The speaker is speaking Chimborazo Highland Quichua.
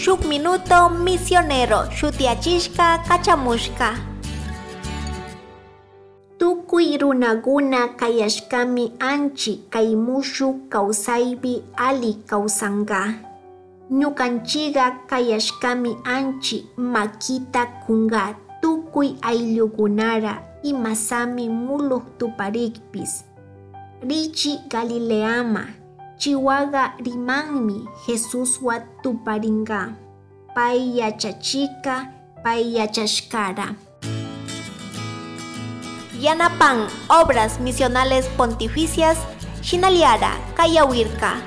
Shuk Minuto Misionero shutiyachishka kachamushka. Tukuy runaguna kayashkami anchi kay mushuk kawsaypi ali kawsanka. Ñukanchiga kayashkami anchi makita kunga tukuy ayllukunara imasami muluk tuparikpis. Richi Galileama, Chihuahua rimanmi Jesuswa tuparinga. Pay yachachika, pay yachashkara. Yanapan Obras Misionales Pontificias, Shinaliara, Kayawirka.